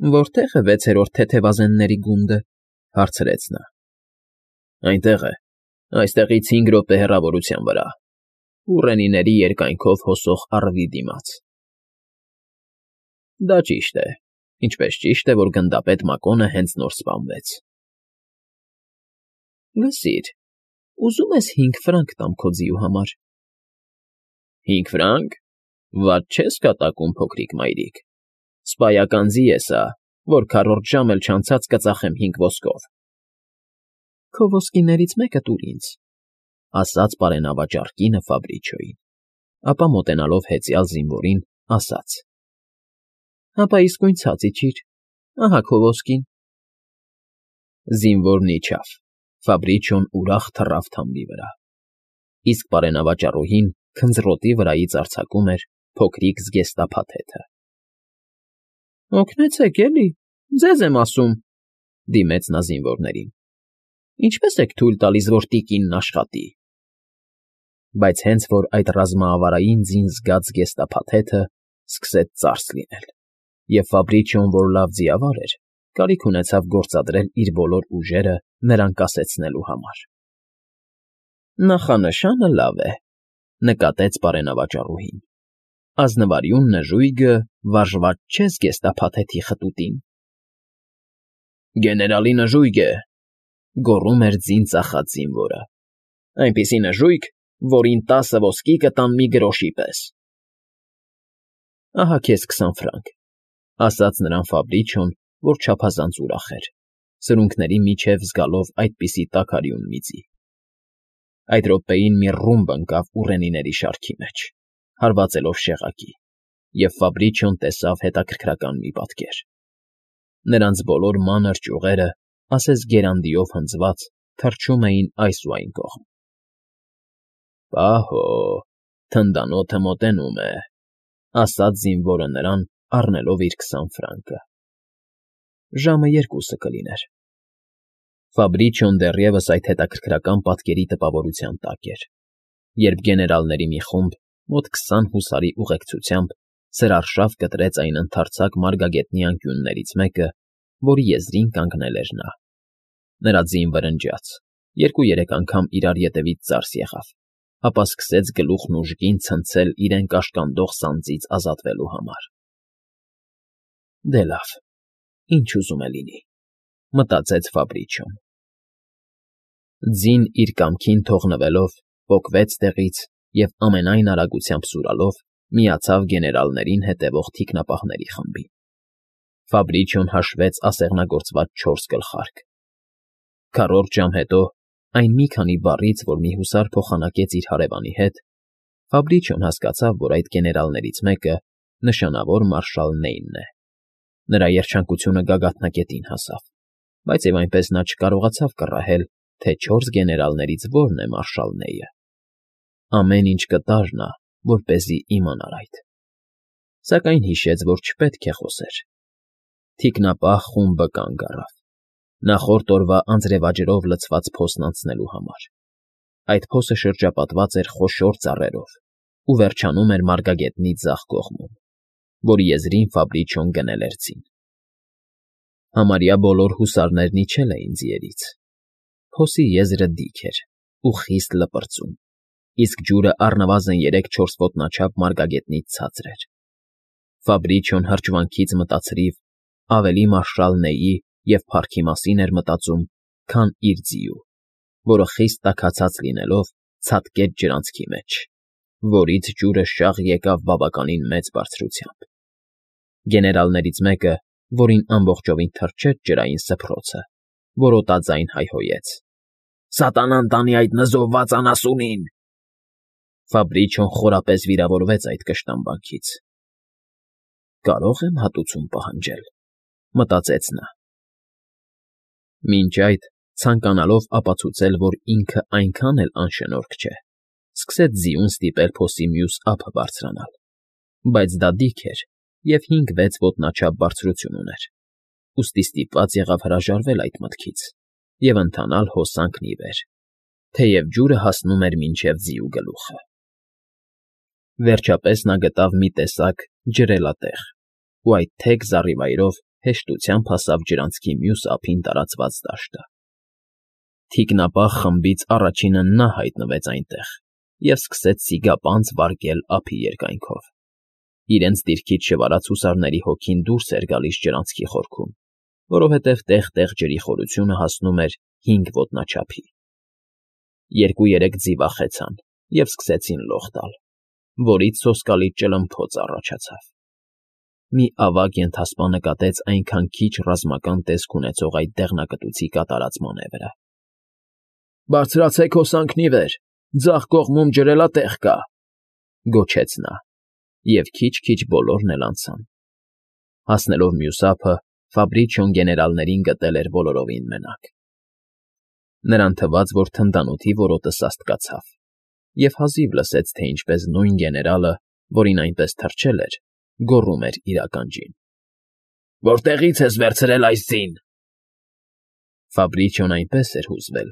Որտե՞ղ է վեցերորդ թեթևազենների գունդը,֊ հարցրեց նա։ Այնտեղ է, այստեղից 5 րոպե հեռավորության վրա, ուռենիների երկայնքով հոսող առվի դիմաց։ Դա ճիշտ է, ինչպես ճիշտ է, որ գնդապետ Մակոնը հենց նոր սպանվեց։ Լսիր, ուզում ես 5 ֆրանկ տամ քո ձիու համար։ 5 ֆրանկ… Վատ չես կատակում, փոքրիկ մայրիկ, սպայական ձի է սա, որ քառորդ ժամ էլ չանցած կծախեմ 5 ոսկով։ Քո ոսկիներից մեկը տուր ինձ, ասաց բարենավաճառ կինը Ֆաբրիչոյին, ապա մոտենալով հեծյալ զինվորին, ասաց. Հապա իսկույն ցած իջիր, ահա քո ոսկին։ Զինվորն իջավ, Ֆաբրիչոն ուրախ թռավ թամբի վրա, իսկ բարենավաճառուհին քնձռոտի վրայից արձակում էր փոքրիկ զգեստափաթեթը։ Օգնեցեք էլի, ձեզ եմ ասում,֊ դիմեց նա զինվորներին։ Ինչպե՞ս եք թույլ տալիս, որ տիկինն աշխատի։ Բայց հենց որ այդ ռազմավարային ձին զգաց զգեստափաթեթը սկսեց ծարս լինել, և Ֆաբրիչոն, որ լավ ձիավար էր, կարիք ունեցավ գործադրել իր բոլոր ուժերը նրան կասեցնելու համար։ Նախանշանը լավ է,֊ նկատեց բարենավաճառուհին։ Ազնվարյուն նժույգը վարժված չէ զգեստափաթեթի խտուտին։ Գեներալի նժույգ է,֊ գոռում էր ձին ծախած զինվորը,֊ այնպիսի նժույգ, որին 10 ոսկի կտան մի գրոշի պես։ Ահա քեզ 20 ֆրանկ,֊ ասաց նրան Ֆաբրիչոն, որ չափազանց ուրախ էր, սրունքների միջև զգալով այդպիսի տաքարյուն մի ձի։ Այդ րոպեին մի ռումբ ընկավ ուռենիների շարքի մեջ, հարվածելով շեղակի, և Ֆաբրիչոն տեսավ հետաքրքրական մի պատկեր։ Նրանց բոլոր մանր ճյուղերը, ասես գերանդիով հնձված, թռչում էին այս ու այն կողմ։ Պահո, թնդանոթը մոտենում է,֊ ասաց զինվորը նրան, առնելով իր 20 ֆրանկը։ Ժամը 2 կլիներ։ Ֆաբրիչոն դեռևս այդ հետաքրքրական պատկերի տպավորության տակ էր, երբ գեներալների մի խումբ, մոտ 20 հուսարի ուղեկցությամբ, սրարշավ կտրեց այն ընդարձակ մարգագետնի անկյուններից մեկը, որի եզրին կանգնել էր նա։ Նրա ձին վրնջաց, 2-3 անգամ իրար ետևից ծարս եղավ, ապա սկսեց գլուխն ուժգին ցնցել իրեն կաշկանդող սանձից ազատվելու համար։ Դե լավ, ինչ ուզում է լինի,֊ մտածեց Ֆաբրիչոն։ Ձին իր կամքին թողնվելով, պոկվեց տեղից և ամենայն արագությամբ սուրալով միացավ գեներալներին հետևող թիկնապահների խմբին։ Ֆաբրիչոն հաշվեց ասեղնագործված 4 գլխարկ։ Քառորդ ժամ հետո, այն մի քանի բառից, որ մի հուսար փոխանակեց իր հարևանի հետ, Ֆաբրիչոն հասկացավ, որ այդ գեներալներից մեկը նշանավոր մարշալ Նեյնն է։ Նրա երջանկությունը գագաթնակետին հասավ, բայց և այնպես նա չկարողացավ կռահել, թե 4 գեներալներից որն է մարշալ Նեյը։ Ամեն ինչ կտար նա, որպեսզի իմանար այդ։ Սակայն հիշեց, որ չպետք է խոսեր։ Թիկնապահ խումբը կանգ առավ, նախորդ օրվա անձրևաջրով լցված փոսն անցնելու համար։ Այդ փոսը շրջապատված էր խոշոր ծառերով ու վերջանում էր մարգագետնի ձախ կողմում, որի եզրին Ֆաբրիչոն գնել էր ձին։ Համարյա բոլոր հուսարներն իջել էին ձիերից։ Փոսի եզրը դիք էր ու խիստ լպրծուն, իսկ ջուրը առնվազն 3-4 ոտնաչափ մարգագետնից ցածր էր։ Ֆաբրիչոն հրճվանքից մտածրիվ ավելի մարշալ Նեյի և փառքի մասին էր մտածում, քան իր ձիու, որը խիստ տաքացած լինելով ցատկեց ջրանցքի մեջ, որից ջուրը շաղ եկավ բավականին մեծ բարձրությամբ։ Գեներալներից մեկը, որին ամբողջովին թրջեց ջրային սփռոցը, որոտաձայն հայհոյեց. Սատանան տանի այդ նզովված անասունին։ Ֆաբրիչոն խորապես վիրավորվեց այդ կշտամբանքից։ Կարո՞ղ եմ հատուցում պահանջել,֊ մտածեց նա։ Մինչ այդ, ցանկանալով ապացուցել, որ ինքը այնքան էլ անշնորհք չէ, սկսեց ձիուն ստիպել փոսի մյուս ափը բարձրանալ, բայց դա դիք էր և 5-6 ոտնաչափ բարձրություն ուներ, ուստի ստիպված եղավ հրաժարվել այդ մտքից և ընթանալ հոսանքն ի վեր, թեև ջուրը հասնում էր մինչև ձիու գլուխը։ Վերջապես նա գտավ մի տեսակ ջրելատեղ ու այդ թեք զառիվայրով հեշտությամբ հասավ ջրանցքի մյուս ափին տարածված դաշտը։ Թիկնապահ խմբից առաջինը նա հայտնվեց այնտեղ և սկսեց սիգապանծ վարգել ափի երկայնքով։ Իրենց դիրքից շվարած հուսարների հոգին դուրս էր գալիս ջրանցքի խորքում, որովհետև տեղ֊տեղ ջրի խորությունը հասնում էր 5 ոտնաչափի։ 2-3 ձիվախեցան և սկսեցին լող տալ, որից սոսկալի ճլմփոց առաջացավ։ Մի ավագ ենթասպա նկատեց այնքան քիչ ռազմական տեսք ունեցող այդ դեղնակտուցի կատարած մանևրը։ «Բարձրացեք հոսանքն ի վեր, ձախ կողմում ջրելատեղ կա», գոչեց նա, և քիչ֊քիչ բոլորն էլ անցան։ Հասնելով մյուս ափը, Ֆաբրիչիոն գեներալներին գտել էր բոլորովին մենակ։ Նրան թվաց, որ թնդանոթի որոտը սաստկացավ, և հազիվ լսեց, թե ինչպես նույն գեներալը, որին այնպես թրջել էր, գոռում էր իր ականջին. «Որտեղի՞ց ես վերցրել այս ձին»։ Ֆաբրիչիոն այնպես էր հուզվել,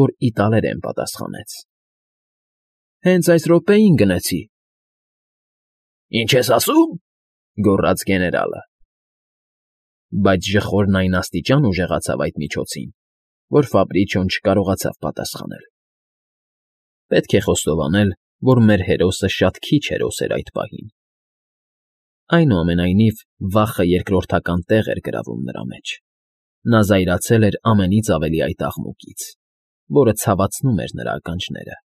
որ իտալերեն պատասխանեց. «Հենց այս րոպեին գնեցի»։ «Ինչ ես ասում»։ Գոռաց գեներալը։ Բայց ժխորն այն աստիճան ուժեղացավ այդ միջոցին, որ Ֆաբրիչիոն չկարողացավ պատասխանել։ Պետք է խոստովանել, որ մեր հերոսը շատ քիչ հերոս էր այդ պահին։ Այնուամենայնիվ, վախը երկրորդական տեղ էր գրավում նրա մեջ։ Նա զայրացել էր ամենից ավելի այդ աղմուկից, որը ցավացնում էր նրա ականջները։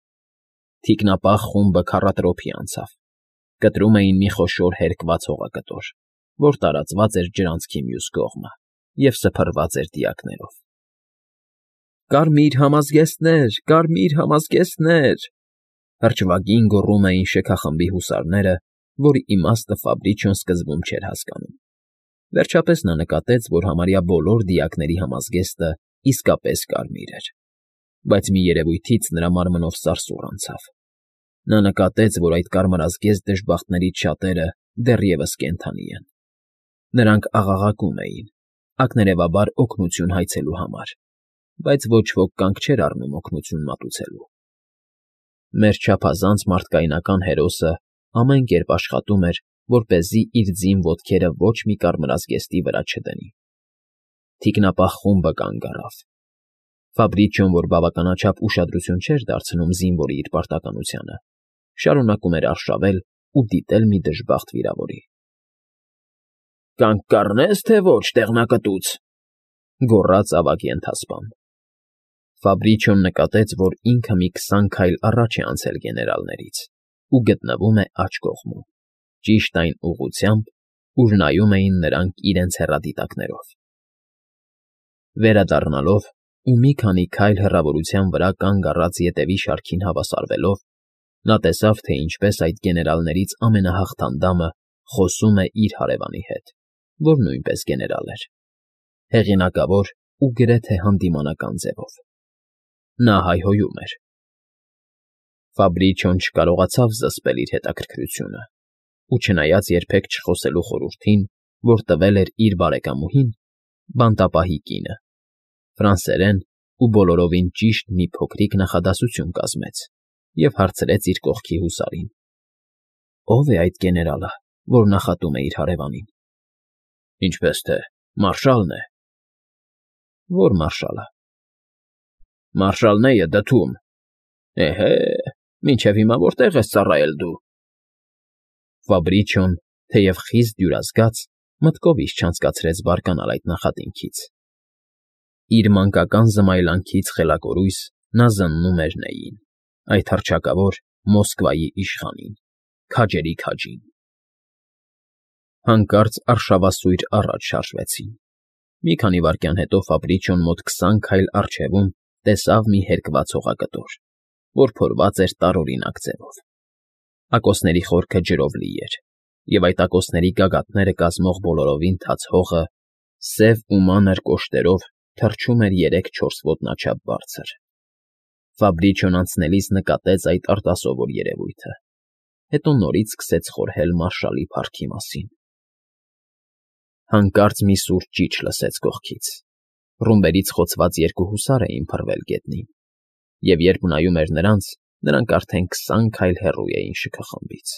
Թիկնապահ խումբը քառատրոփի անցավ։ Կտրում էին մի խոշոր հերկված հողակտոր, որ տարածված էր ջրանցքի մյուս կողմը և սփռված էր դիակներով։ «Կարմիր համազգեստներ, կարմիր համազգեստներ», հրճվագին գոռում էին շքախմբի հուսարները, որի իմաստը Ֆաբրիչիոն սկզբում չէր հասկանում։ Վերջապես նա նկատեց, որ համարյա բոլոր դիակների համազգեստը իսկապես կարմիր էր, բայց մի երևույթից նրա մարմնով սարսուռ անցավ։ Նա նկատեց, որ այդ կարմրազգեստ դժբախտներից շատերը դեռևս կենդանի են։ Նրանք աղաղակում էին, ակներևաբար օգնություն հայցելու համար, բայց ոչ ոք կանգ չէր առնում օգնություն մատուցելու։ Մեր չափազանց մարդկայնական հերոսը ամեն կերպ աշխատում էր, որպեսզի իր ձին ոտքերը ոչ մի կարմրազգեստի վրա չդնի։ Թիկնապահ խումբը կանգ առավ։ Ֆաբրիչիոն, որ բավականաչափ ուշադրություն չէր դարձնում զինվորի իր պարտականությանը, շարունակում էր արշավել ու դիտել մի դժբախտ վիրավորի։ «Կանգ կառնե՞ս, թե ոչ, տեղնակտուց», գոռաց ավագ ենթասպան։ Ֆաբրիչիոն նկատեց, որ ինքը մի 20 քայլ առաջ է անցել գեներալներից ու գտնվում է աջ կողմում, ճիշտ այն ուղղությամբ, ուր նայում էին նրանք իրենց հեռադիտակներով։ Վերադառնալով ու մի քանի քայլ հեռավորության վրա կանգ առած ետևի շարքին հավասարվելով, նա տեսավ, թե ինչպես այդ գեներալներից ամենահաղթանդամը խոսում է իր հարևանի հետ, որ նույնպես գեներալ էր, հեղինակավոր ու գրեթե հանդիմանական ձևով։ Նա հայհոյում էր։ Ֆաբրիչիոն չկարողացավ զսպել իր հետաքրքրությունը, ու չնայած երբեք չխոսելու խորհրդին, որ տվել էր իր բարեկամուհին, բանտապահի կինը, ֆրանսերեն ու բոլորովին ճիշտ մի փոքրիկ նախադասություն կազմեց և հարցրեց իր կողքի հուսարին. «Ո՞վ է այդ գեներալը, որ նախատում է իր հարևանին»։ «Ինչպես թե, մարշալն է»։ «Ո՞ր մարշալը»։ «Մարշալ Նեյը դդում»։ «Էհե, մինչև հիմա որտեղ ես ծառայել դու»։ Ֆաբրիչիոն, թեև խիստ դյուրազգաց, մտքով ինչ չանցկացրեց բարկանալ այդ նախատինքից։ Իր մանկական զմայլանքից խելակորույս նա զննում էր Նեյին, այդ հռչակավոր Մոսկվայի իշխանին, քաջերի քաջին։ Հանկարծ արշավասույր առաջ շարժվեցին։ Մի քանի վայրկյան հետո Ֆաբրիչիոն մոտ 20 քայլ առջևում տեսավ մի հերկված հողակտոր, որ փորված էր տարօրինակ ձևով։ Ակոսների խորքը ջրով լի էր, և այդ ակոսների գագաթները կազմող բոլորովին թաց հողը սև ու մանր կոշտերով թռչում էր 3-4 ոտնաչափ բարձր։ Ֆաբրիչիոն անցնելիս նկատեց այդ արտասովոր երևույթը, հետո նորից սկսեց խորհել մարշալի փառքի մասին։ Հանկարծ մի սուր ճիչ լսեց կողքից։ Ռումբերից խոցված 2 հուսար էին փռվել գետնին, և երբ նայում էր նրանց, նրանք արդեն 20 քայլ հեռու էին շքախմբից։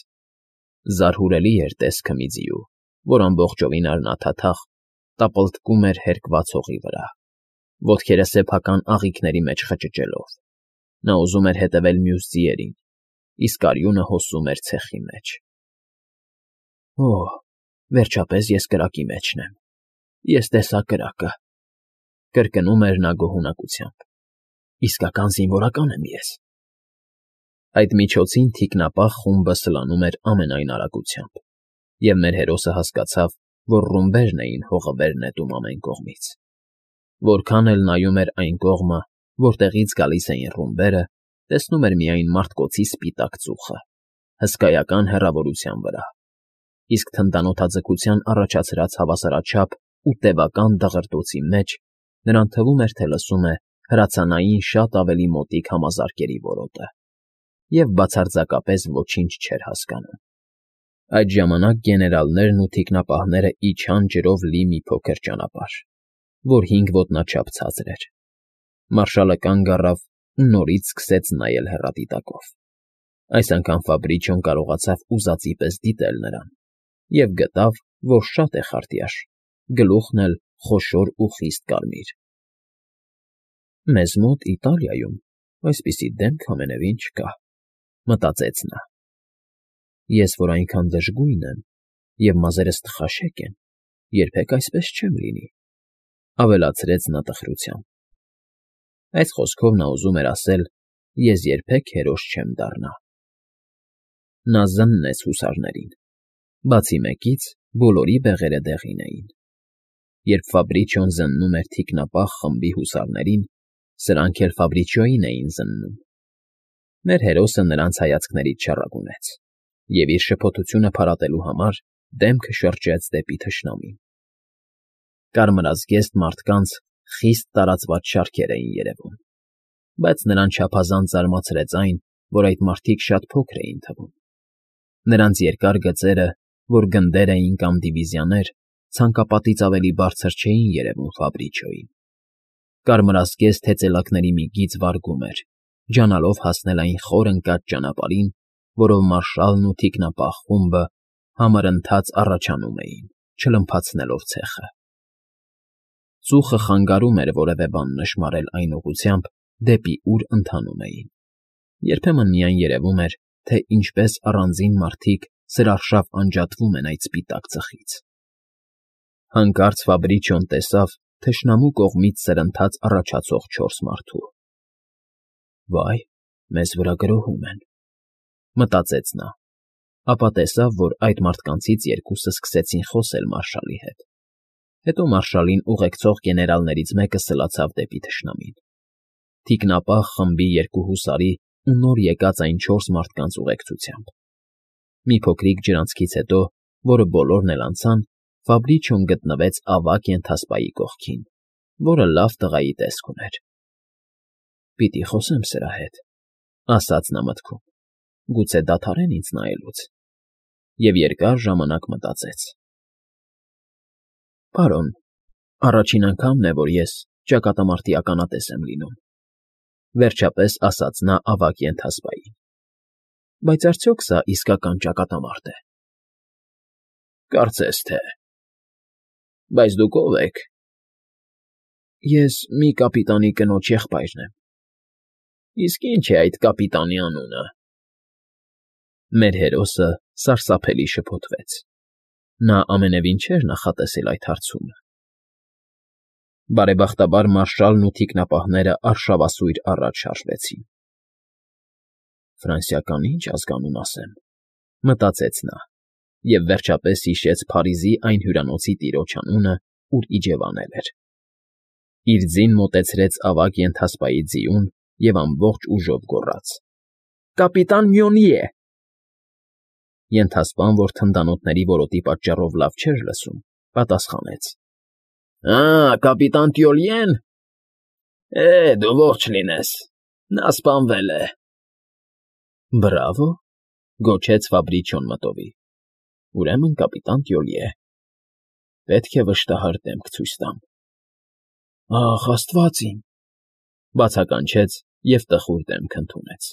Զարհուրելի էր տեսքը մի ձիու, որ ամբողջովին արյունաթաթախ, տապալտկում էր հերկված հողի վրա, ոտքերը սեփական աղիքների մեջ խճճելով։ Նա ուզում էր հետևել մյուս ձիերին, իսկ արյունը հոսում էր ցեխի մեջ։ Օհ, վերջապես ես կրակի մեջն եմ։ Ես տեսա կրակը, կրկնում էր նա գոհունակությամբ։ Իսկական զինվորական եմ ես։ Այդ միջոցին թիկնապահ խումբը սլանում էր ամենայն արագությամբ, և մեր հերոսը հասկացավ, որ ռումբերն էին հողը վեր նետում ամեն կողմից։ Որքան էլ նայում էր այն կողմը, որտեղից գալիս էին ռումբերը, տեսնում էր միայն մարդկոցի սպիտակ ծուխը, հսկայական հեռավորության վրա, իսկ թնդանոթաձգության առաջացրած հավասարաչափ ու տևական դղրդոցի մեջ նրան թվում էր, թե լսում է հրացանային շատ ավելի մոտիկ համազարկերի որոտը, և բացարձակապես ոչինչ չէր հասկանում։ Այդ ժամանակ գեներալներն ու թիկնապահները իջան ջրով լի մի փոքր ճանապարհ, որ 5 ոտնաչափ ցածր էր։ Մարշալը կանգ առավ ու նորից սկսեց նայել հեռադիտակով։ Այս անգամ Ֆաբրիչոն կարողացավ ուզածի պես դիտել նրան և գտավ, որ շատ է խարտյաշ, գլուխն էլ խոշոր ու խիստ կարմիր։ «Մեզ մոտ Իտալիայում այսպիսի դեմք ամենևին չկա», մտածեց նա։ «Ես, որ այնքան դժգույն եմ, և մազերս տխաշեք են, երբեք այսպես չեմ լինի», ավելացրեց նա տխրությամբ։ Այս խոսքով նա ուզում էր ասել. «Ես երբեք հերոս չեմ դառնա»։ Նա զննեց հուսարներին։ Բացի մեկից, բոլորի բեղերը դեղին էին։ Երբ Ֆաբրիչոն զննում էր թիկնապահ խմբի հուսարներին, սրանք էլ Ֆաբրիչիոյին էին զննում։ Մեր հերոսը նրանց հայացքներից չառագունեց և իր շփոթությունը փարատելու համար դեմքը շրջեց դեպի թշնամին։ Կարմրազգեստ մարդկանց խիստ տարածված շարքեր էին երևում, բայց նրան չափազանց զարմացրեց այն, որ այդ մարդիկ շատ փոքր էին թվում։ Նրանց երկար գծերը, որ գնդեր էին կամ դիվիզիաներ, ցանկապատից ավելի բարձր չէին երևում Ֆաբրիչիոյին։ Կարմրազգեստ հեծելակների մի գիծ վարգում էր, ջանալով հասնել այն խոր ընկած ճանապարհին, որով մարշալն ու թիկնապահ խումբը համըրընթաց առաջանում էին, չլմփացնելով ցեխը։ Ծուխը խանգարում էր որևէ բան նշմարել այն ուղղությամբ, դեպի ուր ընթանում էին։ Երբեմն միայն երևում էր, թե ինչպես առանձին մարդիկ սրարշավ անջատվում են այդ սպիտակ ծխից։ Հանկարծ Ֆաբրիչոն տեսավ թշնամու կողմից սրընթաց առաջացող 4 մարդու։ «Վայ, մեզ վրա գրոհում են», մտածեց նա, ապա տեսավ, որ այդ մարդկանցից երկուսը սկսեցին խոսել մարշալի հետ։ Հետո մարշալին ուղեկցող գեներալներից մեկը սլացավ դեպի թշնամին։ Թիկնապահ խմբի 2 հուսարի ու նոր եկած այն 4 մարդկանց ուղեկցությամբ։ Մի փոքրիկ ջրանցքից հետո, որը բոլորն էլ անցան, Ֆաբրիչոն գտնվեց ավագ ենթասպայի կողքին, որը լավ տղայի տեսք ուներ։ «Պիտի խոսեմ սրա հետ», ասաց նա մտքում, «գուցե դադարեն ինձ նայելուց», և երկար ժամանակ մտածեց։ «Պարոն, առաջին անգամն է, որ ես ճակատամարտի ականատես եմ լինում», վերջապես ասաց նա ավագ ենթասպային։ «Բայց արդյոք սա իսկական ճակատամարտ է»։ «Կարծես թե։ Բայց դուք ո՞վ եք»։ «Ես մի կապիտանի կնոջ եղբայրն եմ»։ «Իսկ ի՞նչ է այդ կապիտանի անունը»։ Մեր հերոսը սարսափելի շփոթվեց։ Նա ամենևին չէր նախատեսել այդ հարցումը։ Բարեբախտաբար մարշալն ու թիկնապահները արշավասույր առաջ շարժվեցին։ «Ֆրանսիական ի՞նչ ազգանուն ասեմ», մտածեց նա, և վերջապես հիշեց Փարիզի այն հյուրանոցի տիրոջ անունը, ուր իջևանել էր։ Իր ձին մոտեցրեց ավագ ենթասպայի ձիուն և ամբողջ ուժով գոռաց. «Կապիտան Մյոնիե»։ Ենթասպան, որ թնդանոթների որոտի պատճառով լավ չէր լսում, պատասխանեց. Կապիտան Տյոլիեն։ Դու ողջ լինես, նա սպանվել է։ Բրավո, գոչեց Ֆաբրիչոն մտովի։ Ուրեմն կապիտան Տյոլիե։ Պետք է վշտահար դեմք ցույց տամ։ Ախ, Աստված իմ, բացականչեց և տխուր դեմք ընդունեց։